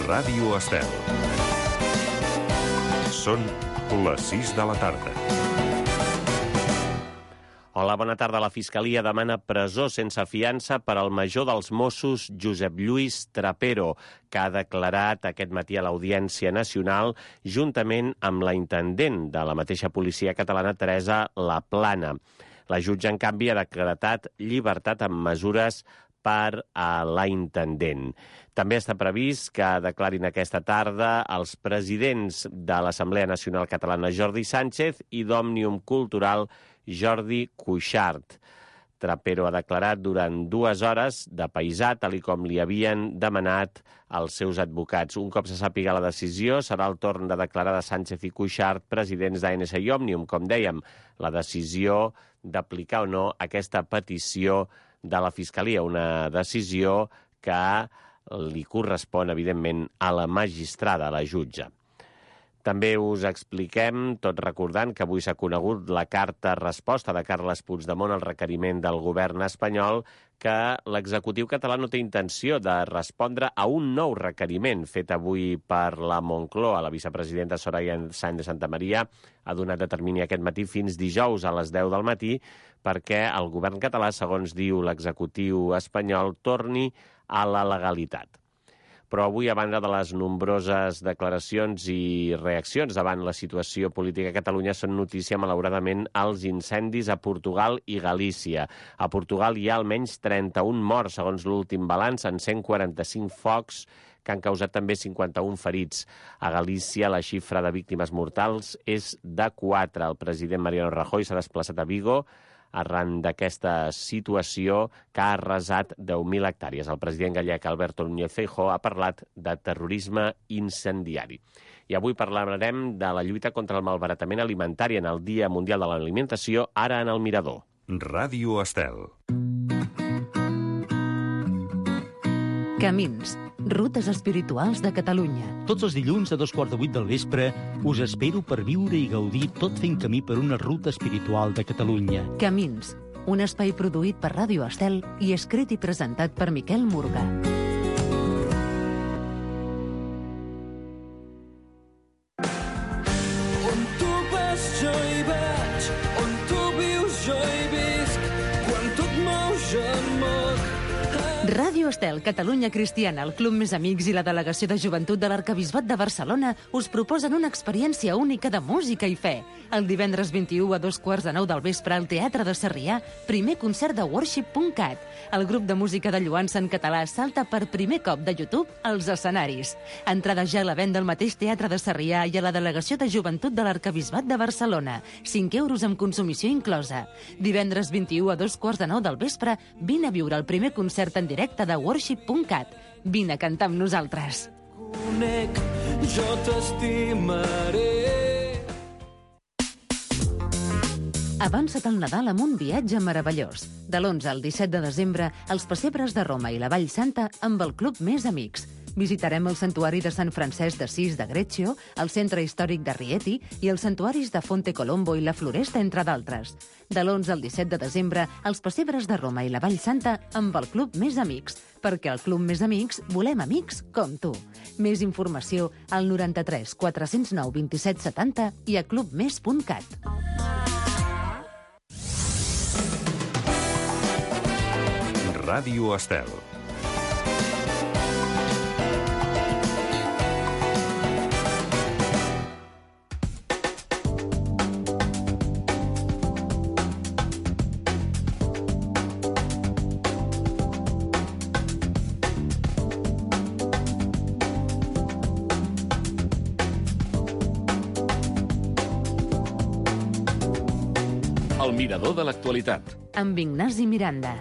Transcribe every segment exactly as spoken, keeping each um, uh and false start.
Ràdio Estel. Són les sis de la tarda. Hola, bona tarda. La Fiscalia demana presó sense fiança per al major dels Mossos, Josep Lluís Trapero, que ha declarat aquest matí a l'Audiència Nacional juntament amb la intendent de la mateixa policia catalana, Teresa Laplana. La jutge, en canvi, ha decretat llibertat amb mesures per a la intendent. També està previst que declarin aquesta tarda els presidents de l'Assemblea Nacional Catalana, Jordi Sánchez, i d'Òmnium Cultural, Jordi Cuixart. Trapero ha declarat durant dues hores de paisà, tal i com li havien demanat els seus advocats. Un cop se sàpiga la decisió, serà el torn de declarar de Sánchez i Cuixart, presidents d'A N S i Òmnium. Com dèiem, la decisió d'aplicar o no aquesta petició de la Fiscalia, una decisió que li correspon, evidentment, a la magistrada, a la jutge. També us expliquem, tot recordant que avui s'ha conegut la carta resposta de Carles Puigdemont al requeriment del govern espanyol, que l'executiu català no té intenció de respondre a un nou requeriment fet avui per la Moncloa. La vicepresidenta Soraya Sáenz de Santamaría ha donat de termini aquest matí fins dijous a les deu del matí perquè el govern català, segons diu l'executiu espanyol, torni a la legalitat. Però avui, a banda de les nombroses declaracions i reaccions davant la situació política a Catalunya, són notícia, malauradament, els incendis a Portugal i Galícia. A Portugal hi ha almenys trenta-un morts, segons l'últim balanç, en cent quaranta-cinc focs que han causat també cinquanta-un ferits. A Galícia, la xifra de víctimes mortals és de quatre. El president Mariano Rajoy s'ha desplaçat a Vigo arran d'aquesta situació que ha arrasat deu mil hectàrees. El president gallec Alberto Núñez Feijóo ha parlat de terrorisme incendiari. I avui parlarem de la lluita contra el malbaratament alimentari en el Dia Mundial de l'Alimentació, ara en el Mirador. Ràdio Estel. Camins, rutes espirituals de Catalunya. Tots els dilluns a dos quarts de vuit del vespre us espero per viure i gaudir tot fent camí per una ruta espiritual de Catalunya. Camins, un espai produït per Ràdio Estel i escrit i presentat per Miquel Murga. On tu vas jo hi vaig, on tu vius jo hi visc, quan tu et mous jo em moc. Ràdio Estel, Catalunya Cristiana, el Club Més Amics i la Delegació de Joventut de l'Arquebisbat de Barcelona us proposen una experiència única de música i fe. El divendres vint-i-u a dos quarts de nou del vespre al Teatre de Sarrià, primer concert de worship punt cat. El grup de música de lloança en català salta per primer cop de YouTube als escenaris. Entrada ja a la venda al mateix Teatre de Sarrià i a la Delegació de Joventut de l'Arquebisbat de Barcelona. cinc euros amb consumició inclosa. Divendres vint-i-u a dos quarts de nou del vespre, vine a viure el primer concert en directe de worship punt cat. Vine a cantar amb nosaltres. Conec, jo t'estimaré. Avança't al Nadal amb un viatge meravellós. De l'onze al disset de desembre, els pessebres de Roma i la Vall Santa amb el Club Més Amics. Visitarem el Santuari de Sant Francesc d'Assís de Greccio, el Centre Històric de Rieti i els santuaris de Fonte Colombo i la Floresta, entre d'altres. De l'onze al disset de desembre, els pessebres de Roma i la Vall Santa amb el Club Més Amics, perquè al Club Més Amics volem amics com tu. Més informació al noranta-tres quatre zero nou vint set setanta i a clubmes punt cat. Ràdio Estel. El Mirador de l'actualitat. Amb Ignasi Miranda.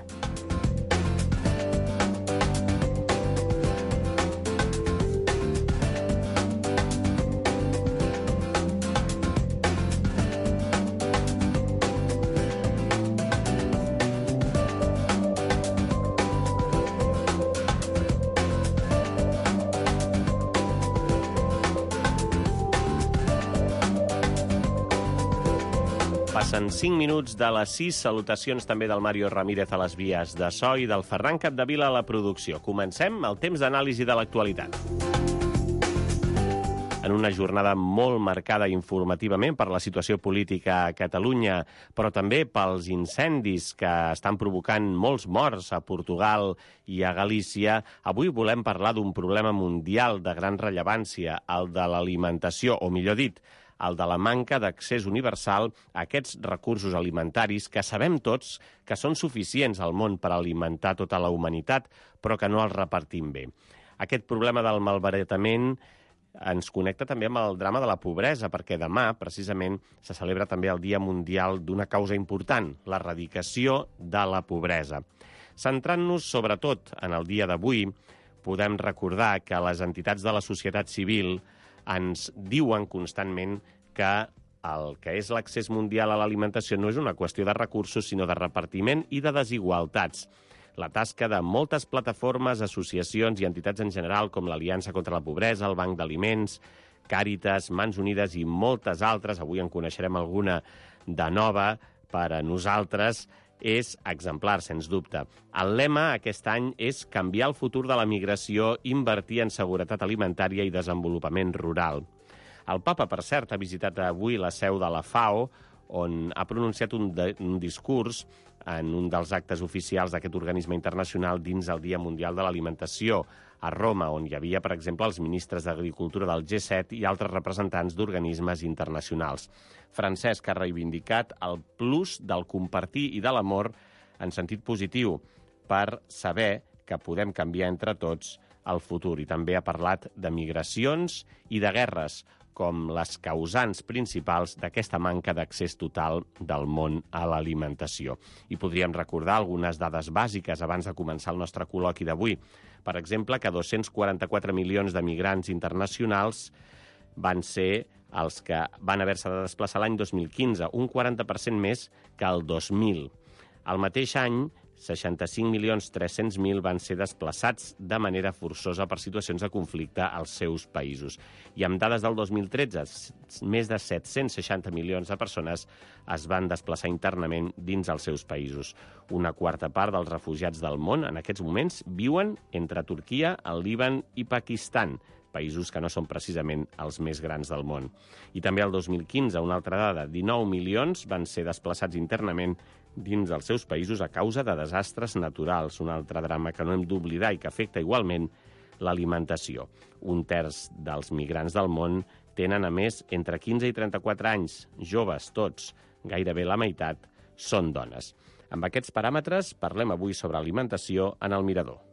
Passen cinc minuts de les sis. Salutacions també del Mario Ramírez a les vies de so i del Ferran Capdevila a la producció. Comencem el temps d'anàlisi de l'actualitat. en una jornada molt marcada informativament per la situació política a Catalunya, però també pels incendis que estan provocant molts morts a Portugal i a Galícia. Avui volem parlar d'un problema mundial de gran rellevància, el de l'alimentació, o millor dit, el de la manca d'accés universal a aquests recursos alimentaris que sabem tots que són suficients al món per alimentar tota la humanitat, però que no els repartim bé. Aquest problema del malbaratament ens connecta també amb el drama de la pobresa, perquè demà, precisament, se celebra també el Dia Mundial d'una causa important, l'erradicació de la pobresa. Centrant-nos sobretot en el dia d'avui, podem recordar que les entitats de la societat civil ens diuen constantment que el que és l'accés mundial a l'alimentació no és una qüestió de recursos, sinó de repartiment i de desigualtats. La tasca de moltes plataformes, associacions i entitats en general, com l'Aliança contra la Pobresa, el Banc d'Aliments, Càritas, Mans Unides i moltes altres, avui en coneixerem alguna de nova per a nosaltres, és exemplar, sens dubte. El lema aquest any és canviar el futur de la migració, invertir en seguretat alimentària i desenvolupament rural. El papa, per cert, ha visitat avui la seu de la FAO, on ha pronunciat un, de, un discurs en un dels actes oficials d'aquest organisme internacional dins el Dia Mundial de l'Alimentació, a Roma, on hi havia, per exemple, els ministres d'Agricultura del G set i altres representants d'organismes internacionals. Francesc ha reivindicat el plus del compartir i de l'amor en sentit positiu per saber que podem canviar entre tots el futur. I també ha parlat de migracions i de guerres com les causants principals d'aquesta manca d'accés total del món a l'alimentació. I podríem recordar algunes dades bàsiques abans de començar el nostre col·loqui d'avui. Per exemple, que dos-cents quaranta-quatre milions de migrants internacionals van ser els que van haver-se de desplaçar l'any dos mil quinze, un quaranta per cent més que el dos mil. Al mateix any, seixanta-cinc milions tres-cents mil van ser desplaçats de manera forçosa per situacions de conflicte als seus països. I amb dades del dos mil tretze, més de set-cents seixanta milions de persones es van desplaçar internament dins els seus països. Una quarta part dels refugiats del món en aquests moments viuen entre Turquia, el Líban i Pakistan, països que no són precisament els més grans del món. I també el dos mil quinze, una altra dada, dinou milions van ser desplaçats internament dins dels seus països a causa de desastres naturals, un altre drama que no hem d'oblidar i que afecta igualment l'alimentació. Un terç dels migrants del món tenen, a més, entre quinze i trenta-quatre anys, joves tots, gairebé la meitat, són dones. Amb aquests paràmetres parlem avui sobre alimentació en el Mirador.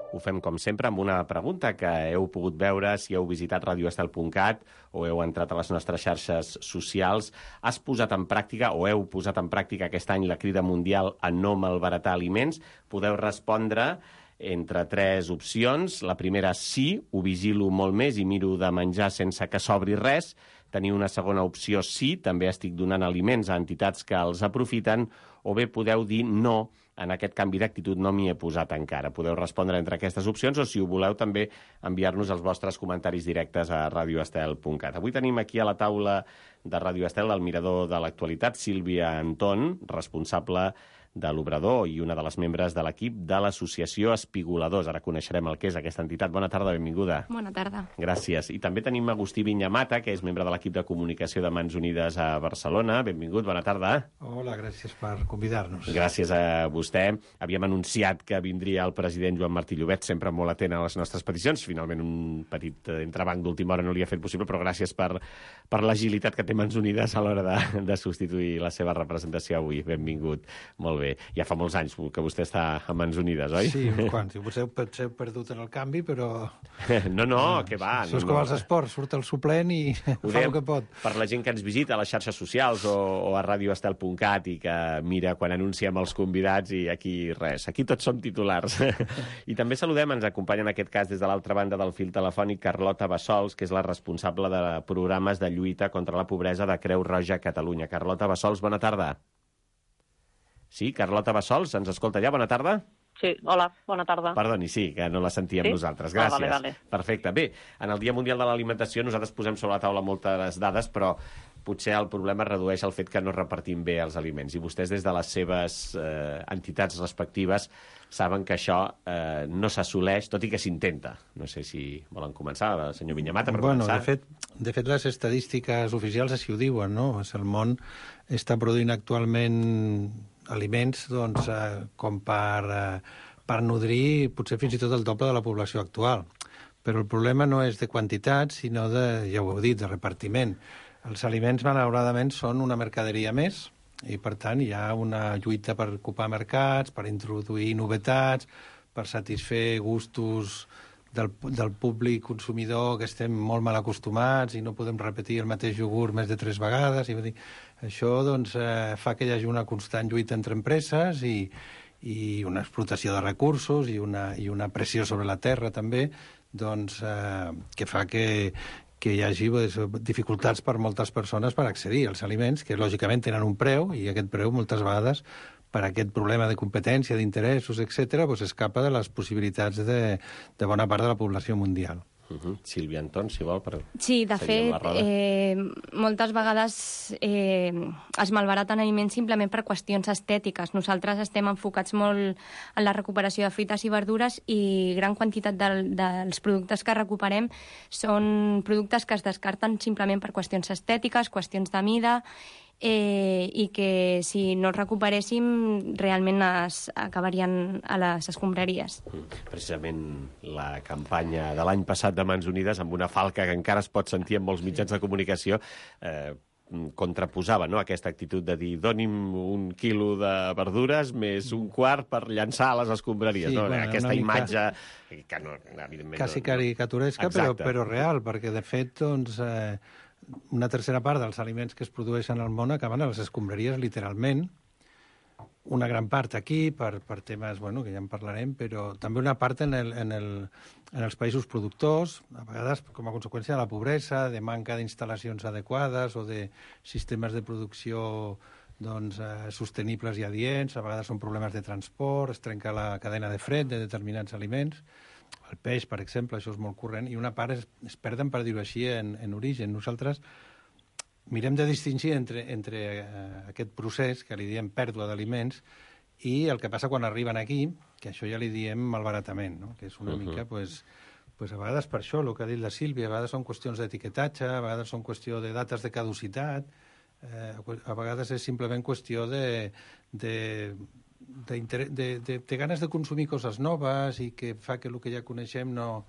Ho fem, com sempre, amb una pregunta que heu pogut veure si heu visitat radio estel punt cat o heu entrat a les nostres xarxes socials. Has posat en pràctica o heu posat en pràctica aquest any la crida mundial a no malbaratar aliments? Podeu respondre entre tres opcions. La primera, sí, ho vigilo molt més i miro de menjar sense que s'obri res. Teniu una segona opció, sí, també estic donant aliments a entitats que els aprofiten. O bé podeu dir no, en aquest canvi d'actitud no m'hi he posat encara. Podeu respondre entre aquestes opcions o, si ho voleu, també enviar-nos els vostres comentaris directes a radio estel punt cat. Avui tenim aquí a la taula de Radio Estel el mirador de l'actualitat, Sílvia Anton, responsable de l'Obrador i una de les membres de l'equip de l'associació Espigoladors. Ara coneixerem el que és aquesta entitat. Bona tarda, benvinguda. Bona tarda. Gràcies. I també tenim Agustí Vinyamata, que és membre de l'equip de comunicació de Mans Unides a Barcelona. Benvingut, bona tarda. Hola, gràcies per convidar-nos. Gràcies a vostè. Havíem anunciat que vindria el president Joan Martí Llobet, sempre molt atent a les nostres peticions. Finalment, un petit entrebanc d'última hora no li ha fet possible, però gràcies per, per l'agilitat que té Mans Unides a l'hora de, de substituir la seva representació avui. Benvingut. Molt bé. Ja fa molts anys que vostè està a Mans Unides, oi? Sí, uns quants. Potser potser heu perdut en el canvi, però... No, no, que va. Això és no, com no. els esports, surt el suplent i Ho fa el que pot. Per la gent que ens visita a les xarxes socials o, o a radio estel punt cat i que mira quan anunciem els convidats i aquí res. Aquí tots som titulars. I també saludem, ens acompanya en aquest cas des de l'altra banda del fil telefònic Carlota Bassols, que és la responsable de programes de lluita contra la pobresa de Creu Roja a Catalunya. Carlota Bassols, bona tarda. Sí, Carlota Bassols, ens escolta ja? Bona tarda. Sí, hola, bona tarda. Perdoni, sí, que no la sentíem sí? nosaltres. Gràcies. Ah, vale, vale. Perfecte. Bé, en el Dia Mundial de l'Alimentació nosaltres posem sobre la taula moltes dades, però potser el problema es redueix al fet que no repartim bé els aliments. I vostès, des de les seves eh, entitats respectives, saben que això eh, no s'assoleix, tot i que s'intenta. No sé si volen començar, senyor Viñamata, per bueno, començar. De fet, de fet, les estadístiques oficials així ho diuen, no? El món està produint actualment aliments doncs, eh, com per, eh, per nodrir potser fins i tot el doble de la població actual. Però el problema no és de quantitat, sinó de, ja ho heu dit, de repartiment. Els aliments, malauradament, són una mercaderia més, i, per tant, hi ha una lluita per ocupar mercats, per introduir novetats, per satisfer gustos del, del públic consumidor que estem molt mal acostumats i no podem repetir el mateix iogurt més de tres vegades. I, dir, això doncs, eh, fa que hi hagi una constant lluita entre empreses i, i una explotació de recursos i una, i una pressió sobre la terra, també, doncs, eh, que fa que, que hi hagi pues, dificultats per moltes persones per accedir als aliments, que lògicament tenen un preu, i aquest preu moltes vegades, per aquest problema de competència, d'interessos, etcètera, pues, escapa de les possibilitats de, de bona part de la població mundial. Uh -huh. Sílvia Anton, si vol, per sí, de fet, eh, moltes vegades eh, es malbaraten aliments simplement per qüestions estètiques. Nosaltres estem enfocats molt en la recuperació de fruites i verdures i gran quantitat del, dels productes que recuperem són productes que es descarten simplement per qüestions estètiques, qüestions de mida, eh, i que si no els recuperéssim realment es acabarien a les escombraries. Precisament la campanya de l'any passat de Mans Unides, amb una falca que encara es pot sentir en molts mitjans de comunicació, eh, contraposava, no?, aquesta actitud de dir doni'm un quilo de verdures més un quart per llançar a les escombraries. Sí, no? bueno, Aquesta mica... imatge que no, evidentment... Quasi no, caricaturesca, però, però real, perquè de fet, doncs... Eh, una tercera part dels aliments que es produeixen al món acaben a les escombraries, literalment. Una gran part aquí, per, per temes bueno, que ja en parlarem, però també una part en, el, en, el, en els països productors, a vegades com a conseqüència de la pobresa, de manca d'instal·lacions adequades o de sistemes de producció doncs, eh, sostenibles i adients. A vegades són problemes de transport, es trenca la cadena de fred de determinats aliments. El peix, per exemple, això és molt corrent, i una part es, es perden, per dir-ho així, en, en origen. Nosaltres mirem de distingir entre, entre eh, aquest procés, que li diem pèrdua d'aliments, i el que passa quan arriben aquí, que això ja li diem malbaratament, no? Que és una uh -huh. mica, pues, pues a vegades per això, el que ha dit la Sílvia, a vegades són qüestions d'etiquetatge, a vegades són qüestió de dates de caducitat, eh, a vegades és simplement qüestió de... de De, de, de, de ganes de consumir coses noves i que fa que el que ja coneixem no,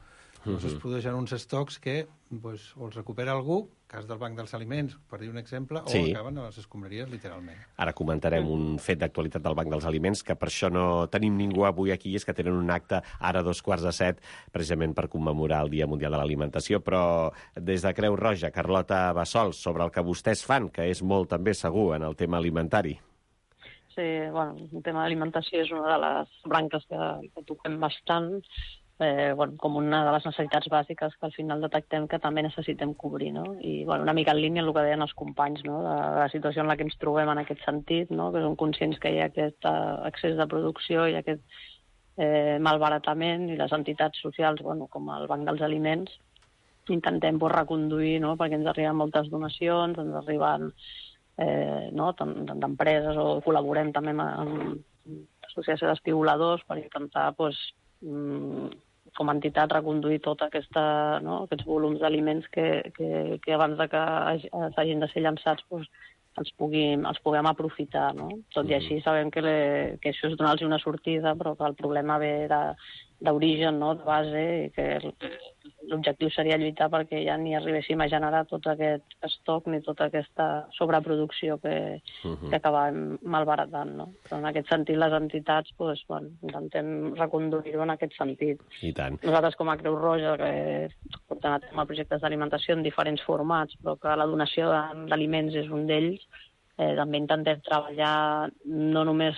no uh-huh. es produeixen uns estocs que pues, o els recupera algú, cas del Banc dels Aliments, per dir un exemple, sí. o acaben a les escombraries, literalment. Ara comentarem un fet d'actualitat del Banc dels Aliments, que per això no tenim ningú avui aquí, és que tenen un acte ara a dos quarts de set, precisament per commemorar el Dia Mundial de l'Alimentació, però des de Creu Roja, Carlota Bassols, sobre el que vostès fan, que és molt també segur en el tema alimentari. Sí, bueno, el tema d'alimentació és una de les branques que, que toquem bastant, eh, bueno, com una de les necessitats bàsiques que al final detectem que també necessitem cobrir, no? I bueno, una mica en línia amb el que deien els companys, no? de, de la situació en la que ens trobem en aquest sentit, no? Que som conscients que hi ha aquest uh, excés de producció i aquest eh, malbaratament, i les entitats socials, bueno, com el Banc dels Aliments, intentem pues, reconduir, no? Perquè ens arriben moltes donacions, ens arriben Eh, no? d'empreses, o col·laborem també amb, amb l'associació d'espigoladors per intentar pues, com a entitat reconduir tot aquesta, no? aquests volums d'aliments que, que, que abans de que s'hagin de ser llançats pues, els, puguin, els puguem aprofitar. No? Tot i així sabem que, le, que això és donar-los una sortida, però que el problema ve d'origen, no? de base, i que l'objectiu seria lluitar perquè ja ni arribéssim a generar tot aquest estoc ni tota aquesta sobreproducció que, uh-huh. que acabem malbaratant. No? Però en aquest sentit les entitats pues, bueno, intentem reconduir-ho en aquest sentit. I tant. Nosaltres com a Creu Roja que portem a terme projectes d'alimentació en diferents formats, però que la donació d'aliments és un d'ells, eh, també intentem treballar no només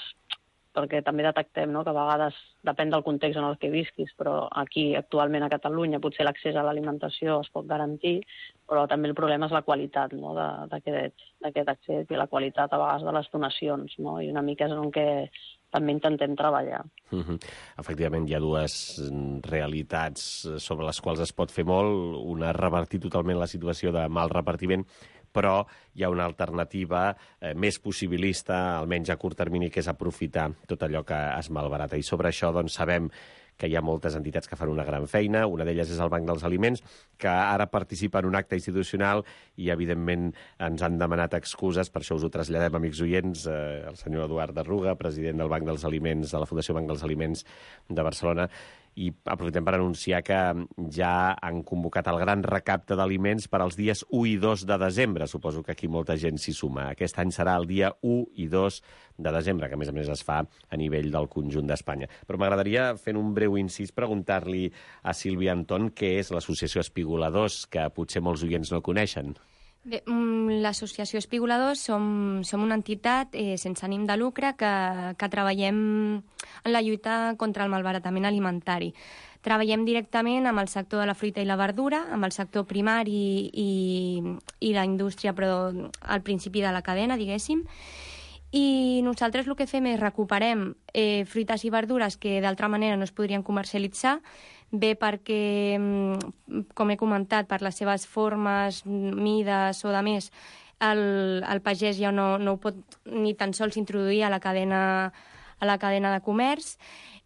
perquè també detectem no, que a vegades depèn del context en el que visquis, però aquí, actualment a Catalunya, potser l'accés a l'alimentació es pot garantir, però també el problema és la qualitat no, d'aquest accés i la qualitat a vegades de les donacions, no? I una mica és en què també intentem treballar. Uh-huh. Efectivament, hi ha dues realitats sobre les quals es pot fer molt. Una, revertir totalment la situació de mal repartiment, però hi ha una alternativa eh, més possibilista, almenys a curt termini, que és aprofitar tot allò que es malbarata. I sobre això doncs, sabem que hi ha moltes entitats que fan una gran feina. Una d'elles és el Banc dels Aliments, que ara participa en un acte institucional i, evidentment, ens han demanat excuses. Per això us ho traslladem, amics oients. Eh, el senyor Eduard Arruga, president del Banc dels Aliments, de la Fundació Banc dels Aliments de Barcelona, i aprofitem per anunciar que ja han convocat el gran recapte d'aliments per als dies u i dos de desembre. Suposo que aquí molta gent s'hi suma. Aquest any serà el dia u i dos de desembre, que a més a més es fa a nivell del conjunt d'Espanya. Però m'agradaria, fent un breu incís, preguntar-li a Sílvia Anton què és l'Associació Espigoladors, que potser molts oients no coneixen. Bé, l'Associació Espigoladors som, som una entitat eh, sense ànim de lucre que, que treballem en la lluita contra el malbaratament alimentari. Treballem directament amb el sector de la fruita i la verdura, amb el sector primari i, i la indústria, però al principi de la cadena, diguéssim. I nosaltres el que fem és recuperem eh, fruites i verdures que d'altra manera no es podrien comercialitzar, bé perquè, com he comentat, per les seves formes, mides o de més, el, el pagès ja no, no ho pot ni tan sols introduir a la cadena, a la cadena de comerç,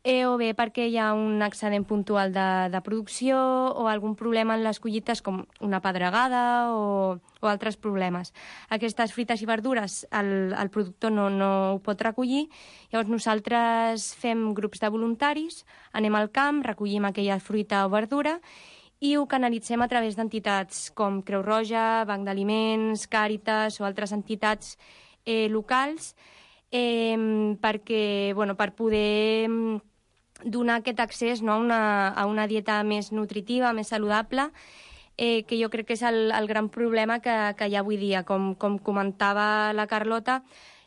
eh, o bé perquè hi ha un excedent puntual de, de producció o algun problema en les collites com una pedregada o, o altres problemes. Aquestes fruites i verdures el, el productor no, no ho pot recollir, llavors nosaltres fem grups de voluntaris, anem al camp, recollim aquella fruita o verdura i ho canalitzem a través d'entitats com Creu Roja, Banc d'Aliments, Càritas o altres entitats eh, locals eh, perquè, bueno, per poder donar aquest accés, no, a, una, a una dieta més nutritiva, més saludable, eh, que jo crec que és el, el gran problema que, que hi ha avui dia. Com, com comentava la Carlota,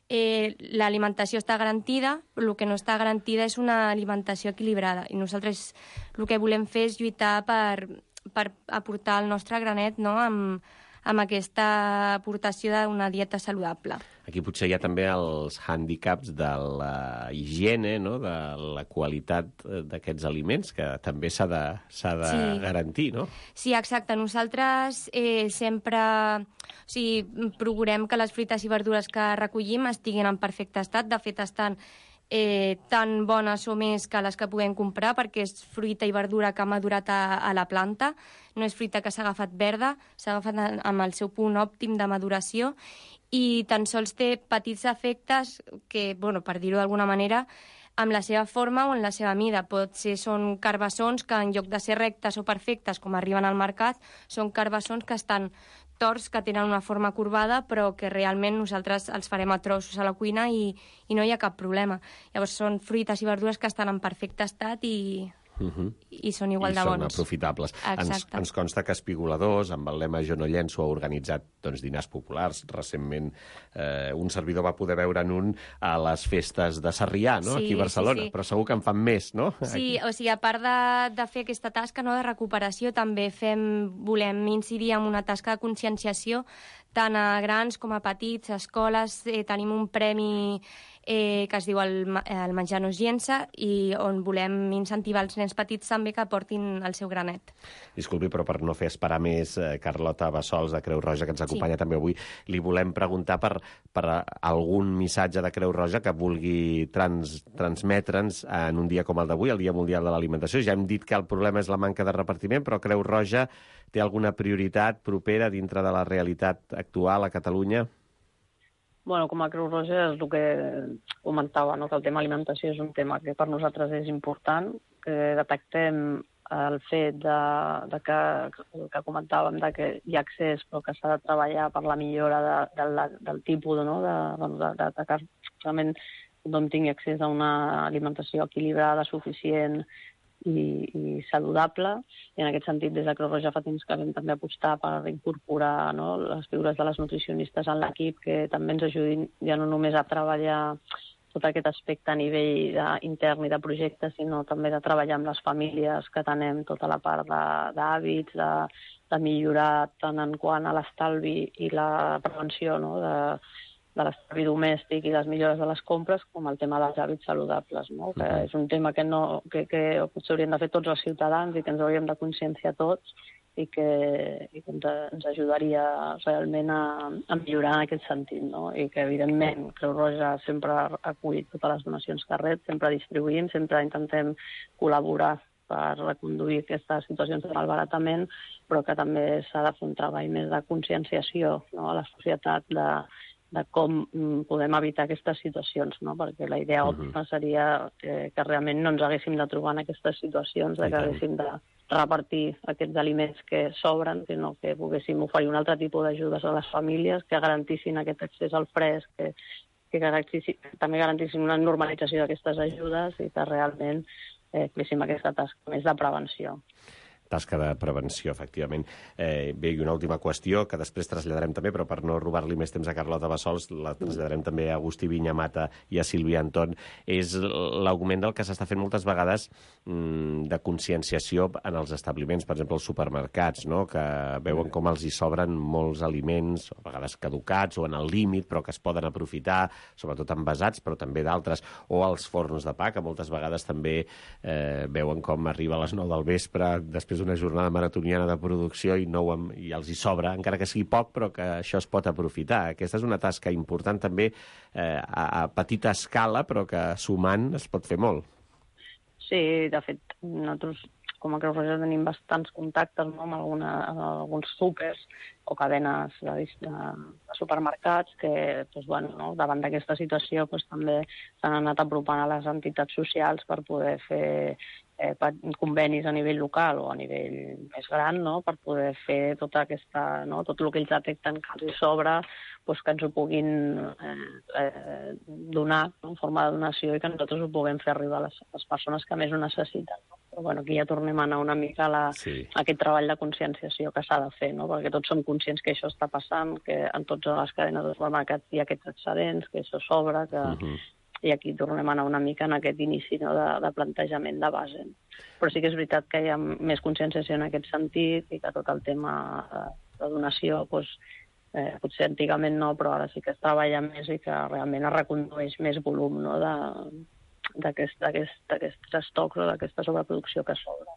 eh, l'alimentació està garantida, però el que no està garantida és una alimentació equilibrada. I nosaltres el que volem fer és lluitar per, per aportar el nostre granet, no, amb, amb aquesta aportació d'una dieta saludable. Aquí potser hi ha també els hàndicaps de la higiene, no?, de la qualitat d'aquests aliments, que també s'ha de, s'ha de sí. garantir, no? Sí, exacte. Nosaltres eh, sempre o sigui, procurem que les fruites i verdures que recollim estiguin en perfecte estat. De fet, estan eh, tan bones o més que les que podem comprar, perquè és fruita i verdura que ha madurat a, a la planta. No és fruita que s'ha agafat verda, s'ha agafat amb el seu punt òptim de maduració i tan sols té petits efectes que, bueno, per dir-ho d'alguna manera, amb la seva forma o en la seva mida. Potser són carbassons que, en lloc de ser rectes o perfectes, com arriben al mercat, són carbassons que estan torts, que tenen una forma corbada, però que realment nosaltres els farem a trossos a la cuina i, i no hi ha cap problema. Llavors són fruites i verdures que estan en perfecte estat i... Uh-huh. i són igual I de bons. I són aprofitables. Ens, ens consta que Espigoladors, amb el lema Jo no llenço, ha organitzat doncs, dinars populars. Recentment eh, un servidor va poder veure en un a les festes de Sarrià, no? Sí, aquí a Barcelona, sí, sí. Però segur que en fan més, no? Sí, aquí. O sigui, a part de, de fer aquesta tasca, no, de recuperació, també fem, volem incidir en una tasca de conscienciació tant a grans com a petits, a escoles. Eh, tenim un premi eh, que es diu el, el Menjar no es llença i on volem incentivar els nens petits també que portin el seu granet. Disculpi, però per no fer esperar més, eh, Carlota Bassols, de Creu Roja, que ens acompanya sí. també avui, li volem preguntar per, per algun missatge de Creu Roja que vulgui trans, transmetre'ns en un dia com el d'avui, el Dia Mundial de l'Alimentació. Ja hem dit que el problema és la manca de repartiment, però Creu Roja té alguna prioritat propera dintre de la realitat actual a Catalunya? Bueno, com a Creu Roja és el que comentava, no? Que el tema alimentació és un tema que per nosaltres és important, que detectem el fet de, de que, que comentàvem de que hi ha accés però que s'ha de treballar per la millora de, de la, del tipus, no? de, de, de, de, de que realment tothom tingui accés a una alimentació equilibrada, suficient i, i saludable. I en aquest sentit, des de Creu Roja fa temps que vam també apostar per incorporar, no, les figures de les nutricionistes en l'equip, que també ens ajudin ja no només a treballar tot aquest aspecte a nivell de, intern i de projecte, sinó també de treballar amb les famílies, que tenem tota la part d'hàbits, de, de, de millorar tant en quant a l'estalvi i la prevenció, no, de, de l'estalvi domèstic i les millores de les compres, com el tema dels hàbits saludables, no? Que és un tema que, no, que, que potser hauríem de fer tots els ciutadans i que ens hauríem de conscienciar tots i que, i que ens, ens ajudaria realment a, a millorar en aquest sentit, no? I que, evidentment, Creu Roja sempre ha acollit totes les donacions que rep, sempre distribuïm, sempre intentem col·laborar per reconduir aquestes situacions de malbaratament, però que també s'ha de fer un treball més de conscienciació, no? A la societat de, de com podem evitar aquestes situacions, no? Perquè la idea òptima seria que, que realment no ens haguéssim de trobar en aquestes situacions, de que haguéssim de repartir aquests aliments que sobren, sinó que poguéssim oferir un altre tipus d'ajudes a les famílies que garantissin aquest accés al fresc, que, que, garantissin, que també garantissin una normalització d'aquestes ajudes i que realment eh, féssim aquesta tasca més de prevenció. Tasca de prevenció, efectivament. Eh, bé, i una última qüestió, que després traslladarem també, però per no robar-li més temps a Carlota Bassols, la traslladarem també a Agustí Viñamata i a Sílvia Anton, és l'augment del que s'està fent moltes vegades mmm, de conscienciació en els establiments, per exemple, els supermercats, no? Que veuen com els hi sobren molts aliments, a vegades caducats o en el límit, però que es poden aprofitar, sobretot envasats, però també d'altres, o els forns de pa, que moltes vegades també eh, veuen com arriba a les nou del vespre, després una jornada maratoniana de producció i, no ho, i els hi sobra, encara que sigui poc, però que això es pot aprofitar. Aquesta és una tasca important també eh, a, a petita escala, però que sumant es pot fer molt. Sí, de fet, nosaltres com a Creu Roja tenim bastants contactes, no? amb, alguna, amb alguns súpers o cadenes de, de, de supermercats que doncs, bueno, no? davant d'aquesta situació doncs, també s'han anat apropant a les entitats socials per poder fer eh, convenis a nivell local o a nivell més gran, no? Per poder fer tota aquesta, no? tot el que ells detecten que els hi sobra, doncs, que ens ho puguin eh, eh, donar, no? en forma de donació i que nosaltres ho puguem fer arribar a les, a les persones que més ho necessiten. No? Però bueno, aquí ja tornem a anar una mica a, la, sí. a aquest treball de conscienciació que s'ha de fer, no? Perquè tots som conscients que això està passant, que en totes les cadenes de supermercats hi ha aquests excedents, que això sobra, que... Uh-huh. I aquí tornem a anar una mica en aquest inici, no? de, de plantejament de base. Però sí que és veritat que hi ha més conscienciació en aquest sentit i que tot el tema de, de donació, doncs, eh, potser antigament no, però ara sí que es treballa més i que realment es recondueix més volum, no? d'aquests estocs o d'aquesta sobreproducció que sobra.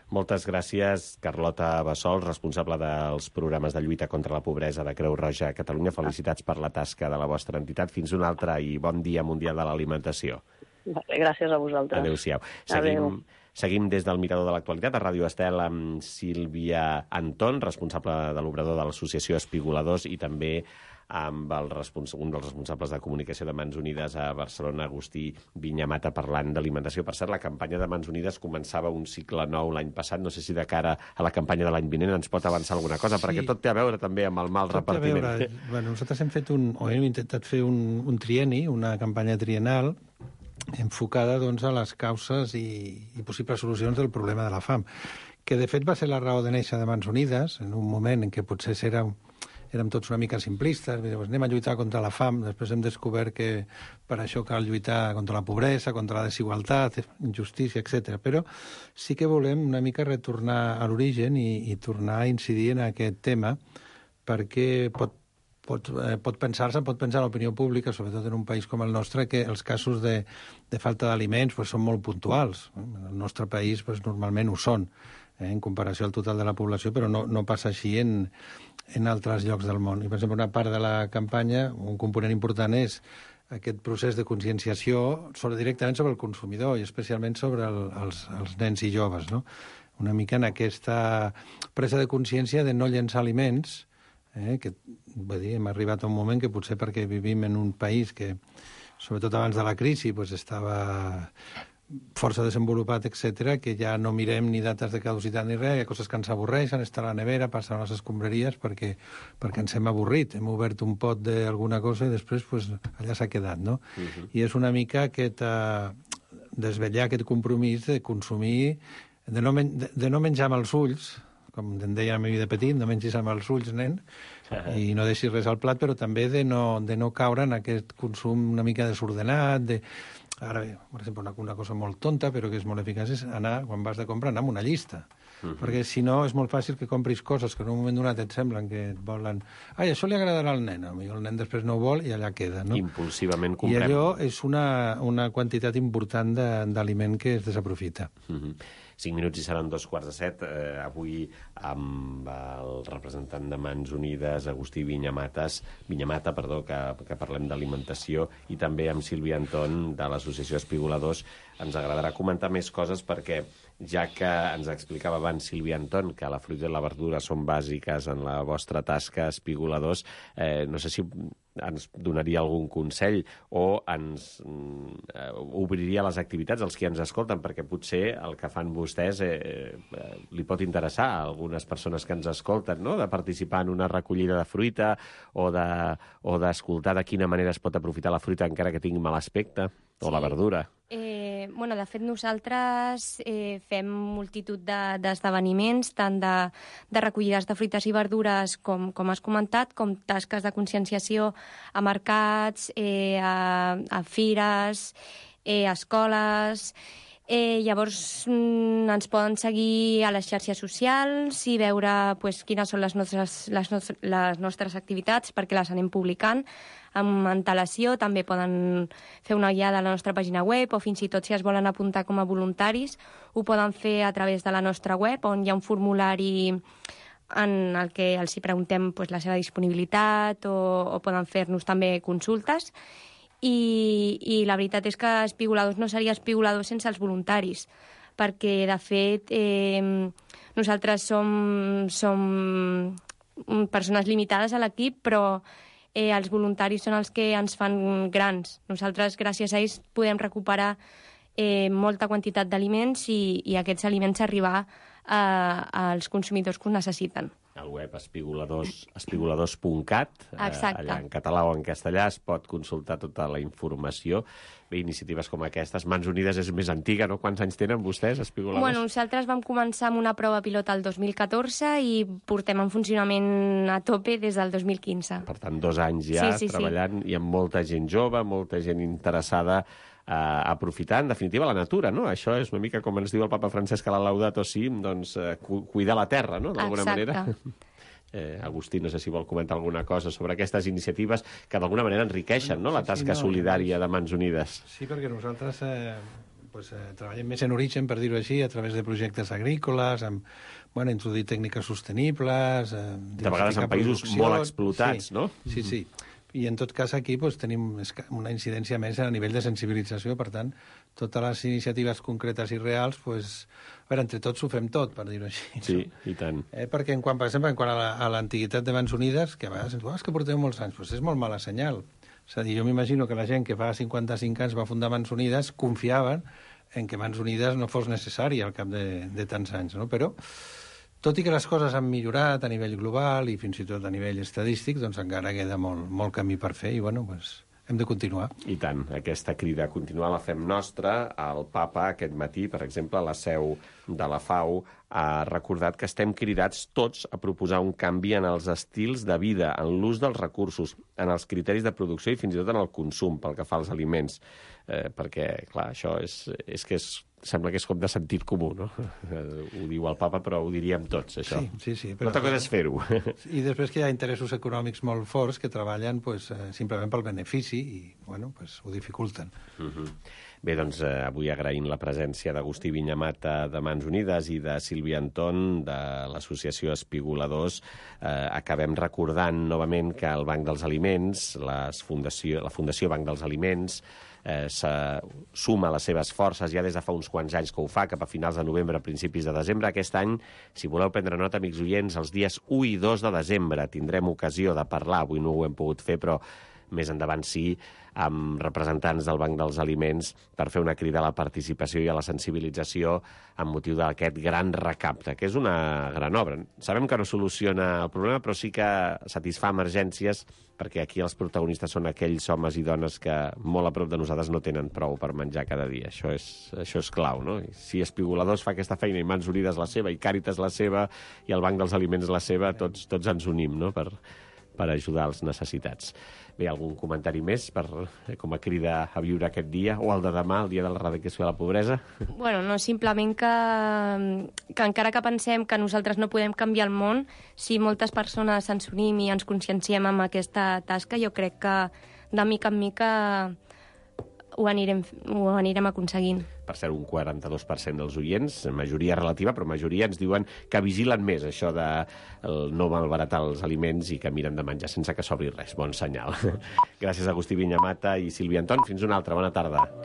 Moltes gràcies, Carlota Bassols, responsable dels programes de lluita contra la pobresa de Creu Roja a Catalunya. Felicitats per la tasca de la vostra entitat. Fins un altre i bon dia mundial de l'alimentació. Gràcies a vosaltres. Adéu-siau. Seguim, seguim des del Mirador de l'Actualitat a Ràdio Estel amb Sílvia Anton, responsable de l'obrador de l'Associació Espigoladors, i també amb el respons- un dels responsables de comunicació de Mans Unides a Barcelona, Agustí Viñamata, parlant d'alimentació. Per cert, la campanya de Mans Unides començava un cicle nou l'any passat. No sé si de cara a la campanya de l'any vinent ens pot avançar alguna cosa, sí. perquè tot té a veure també amb el mal tot repartiment. Té a veure. Bueno, nosaltres hem fet un, o hem intentat fer un, un trienni, una campanya triennal, enfocada doncs, a les causes i, i possibles solucions del problema de la fam, que de fet va ser la raó de néixer de Mans Unides, en un moment en què potser era, érem tots una mica simplistes, doncs anem a lluitar contra la fam, després hem descobert que per això cal lluitar contra la pobresa, contra la desigualtat, injustícia, etcètera. Però sí que volem una mica retornar a l'origen i, i tornar a incidir en aquest tema, perquè pot Pot, eh, pot pensar-se, pot pensar l'opinió pública, sobretot en un país com el nostre, que els casos de, de falta d'aliments pues, són molt puntuals. En el nostre país pues, normalment ho són, eh, en comparació al total de la població, però no, no passa així en, en altres llocs del món. I, per exemple, una part de la campanya, un component important és aquest procés de conscienciació sobre, directament sobre el consumidor i especialment sobre el, els, els nens i joves, no? Una mica en aquesta presa de consciència de no llençar aliments, Eh, que vull dir, hem arribat a un moment que potser perquè vivim en un país que, sobretot abans de la crisi, pues, estava força desenvolupat, etcètera, que ja no mirem ni dates de caducitat ni res, hi ha coses que ens avorreixen, estar a la nevera, passar a les escombraries perquè, perquè ens hem avorrit, hem obert un pot d'alguna cosa i després pues, allà s'ha quedat, no? Uh-huh. I és una mica aquest, uh, desvetllar aquest compromís de consumir, de no, men de, de no menjar amb els ulls, com em deia a mi de petit, no mengis amb els ulls, nen, uh-huh. i no deixis res al plat, però també de no, de no caure en aquest consum una mica desordenat, de, Ara bé, per exemple, una, una cosa molt tonta, però que és molt eficaç, és anar, quan vas de comprar, anar amb una llista. Uh-huh. Perquè si no és molt fàcil que compris coses que en un moment donat et semblen que et volen... Ai, això li agradarà al nen, potser el nen després no ho vol i allà queda, no? Impulsivament comprem. I allò és una, una quantitat important d'aliment que es desaprofita. Uh-huh. Cinc minuts i seran dos quarts de set. Eh, avui amb el representant de Mans Unides, Agustí Vinyamatas, Vinyamata, perdó, que, que parlem d'alimentació, i també amb Sílvia Anton, de l'Associació Espigoladors. Ens agradarà comentar més coses perquè, ja que ens explicava abans Sílvia Anton que la fruita i la verdura són bàsiques en la vostra tasca, Espigoladors, eh, no sé si ens donaria algun consell o ens eh, obriria les activitats als qui ens escolten, perquè potser el que fan vostès eh, eh, li pot interessar a algunes persones que ens escolten, no?, de participar en una recollida de fruita o de, o d'escoltar de quina manera es pot aprofitar la fruita encara que tingui mal aspecte, o sí. la verdura. Eh, bueno, de fet, nosaltres eh, fem multitud d'esdeveniments, de, tant de, de recollides de fruites i verdures, com, com has comentat, com tasques de conscienciació a mercats, eh, a, a fires, eh, a escoles... Eh, llavors mm, ens poden seguir a les xarxes socials i veure pues, quines són les nostres, les, nostres, les nostres activitats perquè les anem publicant amb antelació. També poden fer una guiada a la nostra pàgina web o fins i tot si es volen apuntar com a voluntaris ho poden fer a través de la nostra web on hi ha un formulari en el que els hi preguntem pues, la seva disponibilitat o, o poden fer-nos també consultes. I, i la veritat és que Espigoladors no seria Espigoladors sense els voluntaris, perquè, de fet, eh, nosaltres som, som persones limitades a l'equip, però eh, els voluntaris són els que ens fan grans. Nosaltres, gràcies a ells, podem recuperar eh, molta quantitat d'aliments i, i aquests aliments arribar a, als consumidors que ho necessiten. Al web espigoladors, espigoladors punt cat, eh, allà en català o en castellà es pot consultar tota la informació. Bé, iniciatives com aquestes. Mans Unides és més antiga, no? Quants anys tenen vostès, Espigoladors? Bueno, nosaltres vam començar amb una prova pilota el dos mil catorze i portem en funcionament a tope des del dos mil quinze. Per tant, dos anys ja sí, sí, treballant sí. I amb molta gent jove, molta gent interessada a aprofitar, en definitiva, la natura, no? Això és una mica com ens diu el papa Francesc a la Laudato Si, doncs eh, cuidar la terra, no?, d'alguna manera. Eh, Agustí, no sé si vol comentar alguna cosa sobre aquestes iniciatives que d'alguna manera enriqueixen, no?, la tasca sí, sí, no, solidària de Mans Unides. Sí, perquè nosaltres eh, pues, eh, treballem més en origen, per dir-ho així, a través de projectes agrícoles, amb, bueno, introduir tècniques sostenibles... Eh, de vegades en països molt explotats, sí, no? Sí, sí. I en tot cas aquí pues, tenim una incidència més a nivell de sensibilització, per tant, totes les iniciatives concretes i reals, pues, a veure, entre tots ho fem tot, per dir-ho així. Sí, no? i tant. Eh, perquè, en quant, per exemple, en quant a l'antiguitat de Mans Unides, que a vegades ens diuen, oh, és que porteu molts anys, pues és molt mala senyal. És a dir, jo m'imagino que la gent que fa cinquanta-cinc anys va fundar Mans Unides confiaven en que Mans Unides no fos necessari al cap de, de tants anys, no? Però tot i que les coses han millorat a nivell global i fins i tot a nivell estadístic, doncs encara queda molt, molt camí per fer i, bueno, doncs, hem de continuar. I tant, aquesta crida a continuar la fem nostra. El papa aquest matí, per exemple, a la seu de la FAO, ha recordat que estem cridats tots a proposar un canvi en els estils de vida, en l'ús dels recursos, en els criteris de producció i fins i tot en el consum pel que fa als aliments. Eh, perquè, clar, això és, és que és sembla que és com de sentit comú, no? Ho diu el papa, però ho diríem tots, això. Sí, sí, sí. Però l'altra cosa és fer-ho. I després que hi ha interessos econòmics molt forts que treballen pues, eh, simplement pel benefici i, bueno, pues, ho dificulten. Uh-huh. Bé, doncs, eh, avui agraïm la presència d'Agustí Vinyamata de Mans Unides i de Sílvia Anton de l'Associació Espigoladors. Eh, acabem recordant novament que el Banc dels Aliments, les fundació, la Fundació Banc dels Aliments, Eh, suma les seves forces ja des de fa uns quants anys que ho fa, cap a finals de novembre, a principis de desembre. Aquest any, si voleu prendre nota, amics oients, els dies u i dos de desembre tindrem ocasió de parlar, avui no ho hem pogut fer, però més endavant sí, amb representants del Banc dels Aliments per fer una crida a la participació i a la sensibilització amb motiu d'aquest gran recapte, que és una gran obra. Sabem que no soluciona el problema, però sí que satisfà emergències, perquè aquí els protagonistes són aquells homes i dones que molt a prop de nosaltres no tenen prou per menjar cada dia. Això és, això és clau, no? I si Espigoladors fa aquesta feina i Mans Unides la seva, i Càritas la seva, i el Banc dels Aliments la seva, tots, tots ens unim, no?, per per ajudar els necessitats. Bé, algun comentari més per, com a crida a viure aquest dia, o el de demà, el dia de l'erradicació de la pobresa? Bueno, no, simplement que, que encara que pensem que nosaltres no podem canviar el món, si moltes persones ens unim i ens conscienciem amb aquesta tasca, jo crec que de mica en mica ho anirem, ho anirem aconseguint. Per cert, un quaranta-dos per cent dels oients, majoria relativa, però majoria ens diuen que vigilen més això de no malbaratar els aliments i que miren de menjar sense que sobri res. Bon senyal. Gràcies a Agustí Vinyamata i Sílvia Anton. Fins una altra. Bona tarda.